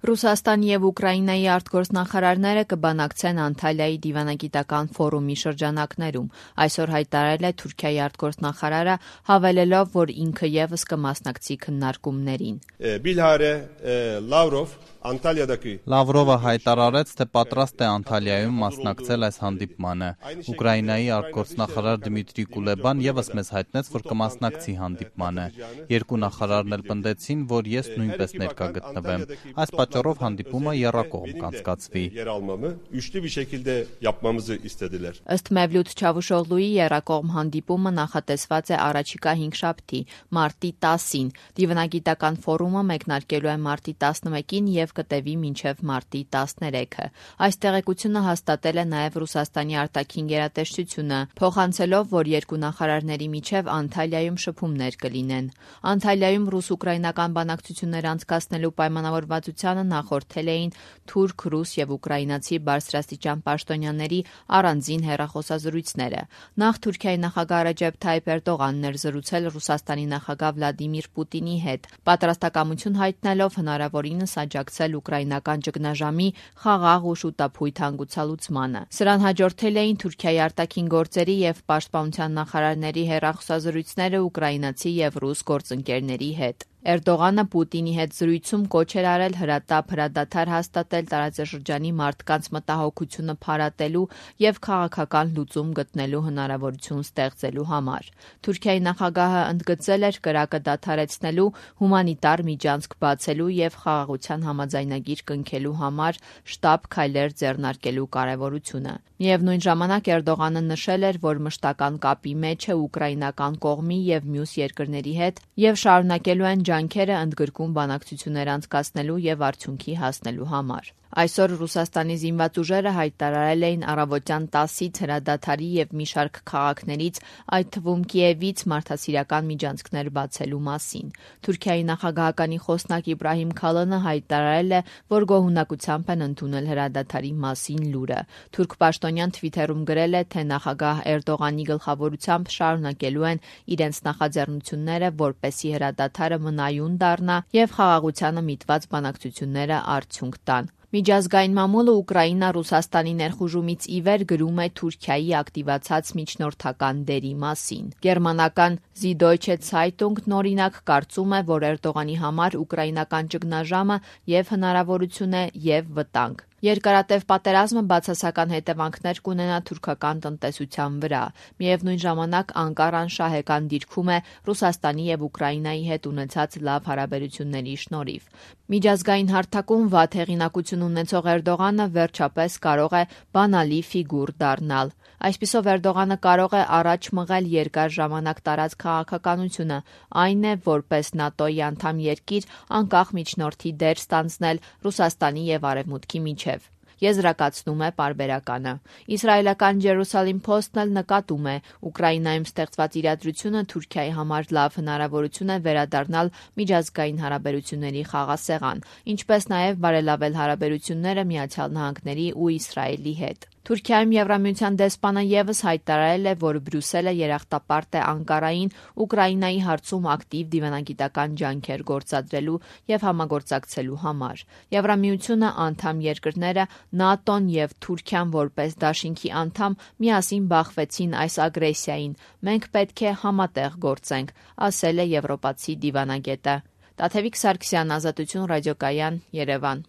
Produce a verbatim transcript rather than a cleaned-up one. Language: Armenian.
Ռուսաստանի եւ Ուկրաինայի արտգործնախարարները կբանակցեն Անտալիայի դիվանագիտական ֆորումի շրջանակներում, այսօր հայտարարել է Թուրքիայի արտգործնախարարը, հավելելով, որ ինքը եւս կմասնակցի քննարկումներին։ Bilhare Lavrov Antalya'daki Լավրովը հայտարարեց, թե պատրաստ է Անտալիայում մասնակցել այս հանդիպմանը։ Ուկրաինայի արտգործնախարար Դմիտրի Կուլեբան եւս մեզ հայտնեց, որ կմասնակցի հանդիպմանը։ Երկու նախարարն էլ պնդեցին, որ ես նույնպես ներկա գտնվեմ։ Այս պատճառով հանդիպումը եռակողմ կանցկացվի։ Üçlü bir şekilde yapmamızı istediler. Ըստ Մևլութ Չավուշօղլուի եռակողմ հանդիպումը նախատեսված է առաջիկա հինգշաբթի, մարտի տասին։ Դիվանագիտական ֆորումը մեկնարկելու է մարտի տասնմեկին եւ կտևի մինչև մարտի տասներեքը։ Այս տեղեկությունը հաստատել է նաև Ռուսաստանի արտաքին գերատեսչությունը, փոխանցելով, որ երկու նախարարների միջև Անտալիայում շփումներ կլինեն։ Անտալիայում ռուս-ուկրաինական բանակցություններ անցկացնելու պայմանավորվածությանը նախորդել էին թուրք, ռուս եւ ուկրաինացի բարձրաստիճան պաշտոնյաների առանձին հեռախոսազրույցները։ Նախ Թուրքիայի նախագահ Ռեջեփ Թայիփ Էրդողանն էր զրուցել Ռուսաստանի նախագահ Վլադիմիր Պուտինի հետ, պատրաստակամություն հայտնելով հնարավորինս աջակցել ուկրաինական ճգնաժամի խաղաղ ու շուտափույթ հանգուցալուծմանը։ Սրան հաջորդել էին Թուրքիայի արտաքին գործերի եւ պաշտպանության նախարարների հեռախոսազրույցները ուկրաինացի եւ ռուս գործընկերների հետ։ Էրդողանը Պուտինի հետ զրույցում կոչ էր արել հրատապ հրադադար հաստատել տարածաշրջանի մարդկանց մտահոգությունը փարատելու եւ քաղաքական լուծում գտնելու հնարավորություն ստեղծելու համար։ Թուրքիայի նախագահը ընդգծել էր կրակը դադարեցնելու, հումանիտար միջանցք բացելու եւ խաղաղության համաձայնագիր կնքելու համար շտապ քայլեր ձեռնարկելու կարեւորությունը։ Միևնույն ժամանակ Էրդողանը նշել էր, որ մշտական կապի մեջ է ուկրաինական կողմի եւ մյուս երկրների հետ եւ շարունակելու են ջանքերը ընդգրկուն բանակցություններ անցկացնելու եւ արդյունքի հասնելու համար։ Այսօր Ռուսաստանի զինված ուժերը հայտարարել էին առավոտյան տասից հրադադարի եւ մի շարք քաղաքներից, այդ թվում Կիևից մարդասիրական միջանցքներ բացելու մասին։ Թուրքիայի նախագահականի խոսնակ Իբրահիմ Քալանը հայտարարել է, որ գոհունակությամբ են ընդունել հրադադարի մասին լուրը։ Թուրք պաշտոնյան Թվիթերում գրել է, թե նախագահ Էրդողանի գլխավորությամբ շարունակելու են իրենց նախաձեռնությունները, որպեսզի հրադադարը մնայուն դառնա եւ խաղաղությանը միտված բանակցությունները արդյունք տան։ Միջազգային մամուլը Ուկրաինա Ռուսաստանի ներխուժումից ի վեր գրում է Թուրքիայի ակտիվացած միջնորդական դերի մասին։ Գերմանական Süddeutsche Zeitung-ն օրինակ կարծում է, որ Էրդողանի համար ուկրաինական ճգնաժամը եւ հնարավորություն է եւ վտանգ։ Երկարատև պատերազմը բացասական հետևանքներ կունենա թուրքական տնտեսության վրա։ Միևնույն ժամանակ Անկարան շահեկան դիրքում է Ռուսաստանի եւ Ուկրաինայի հետ ունեցած լավ հարաբերությունների շնորհիվ։ Միջազգային հարթակում վատ հեղինակություն ունեցող Էրդողանը վերջապես կարող է բանալի ֆիգուր դառնալ։ Այսպիսով Էրդողանը կարող է առաջ մղել երկար ժամանակ տարած քաղաքականությունը, այն է, որպես ՆԱՏՕ-ի անդամ երկիր անկախ միջնորդի դեր ստանձնել Ռուսաստանի եւ Արևմուտքի միջև։ Եզրակացնում է պարբերականը։ Իսրայելական Jerusalem Post-ն էլ նկատում է, Ուկրաինայում ստեղծված իրադրությունը Թուրքիայի համար լավ հնարավորություն է վերադառնալ միջազգային հարաբերությունների խաղաղասեղան, ինչպես նաև բարելավել հարաբերությունները Միացյալ Նահանգների ու Իսրայելի հետ։ Թուրքիայում Եվրամիության դեսպանը եւս հայտարարել է, որ Բրյուսելը երախտապարտ է Անկարային Ուկրաինայի հարցում ակտիվ դիվանագիտական ջանքեր գործադրելու եւ համագործակցելու համար։ Եվրամիությունը, անդամ երկրները, ՆԱՏՕ-ն եւ Թուրքիան որպես դաշինքի անդամ միասին բախվեցին այս ագրեսիային։ Մենք պետք է համատեղ գործենք, ասել է եվրոպացի դիվանագետը։ Տաթևիկ Սարգսյան, Ազատություն ռադիոկայան, Երևան։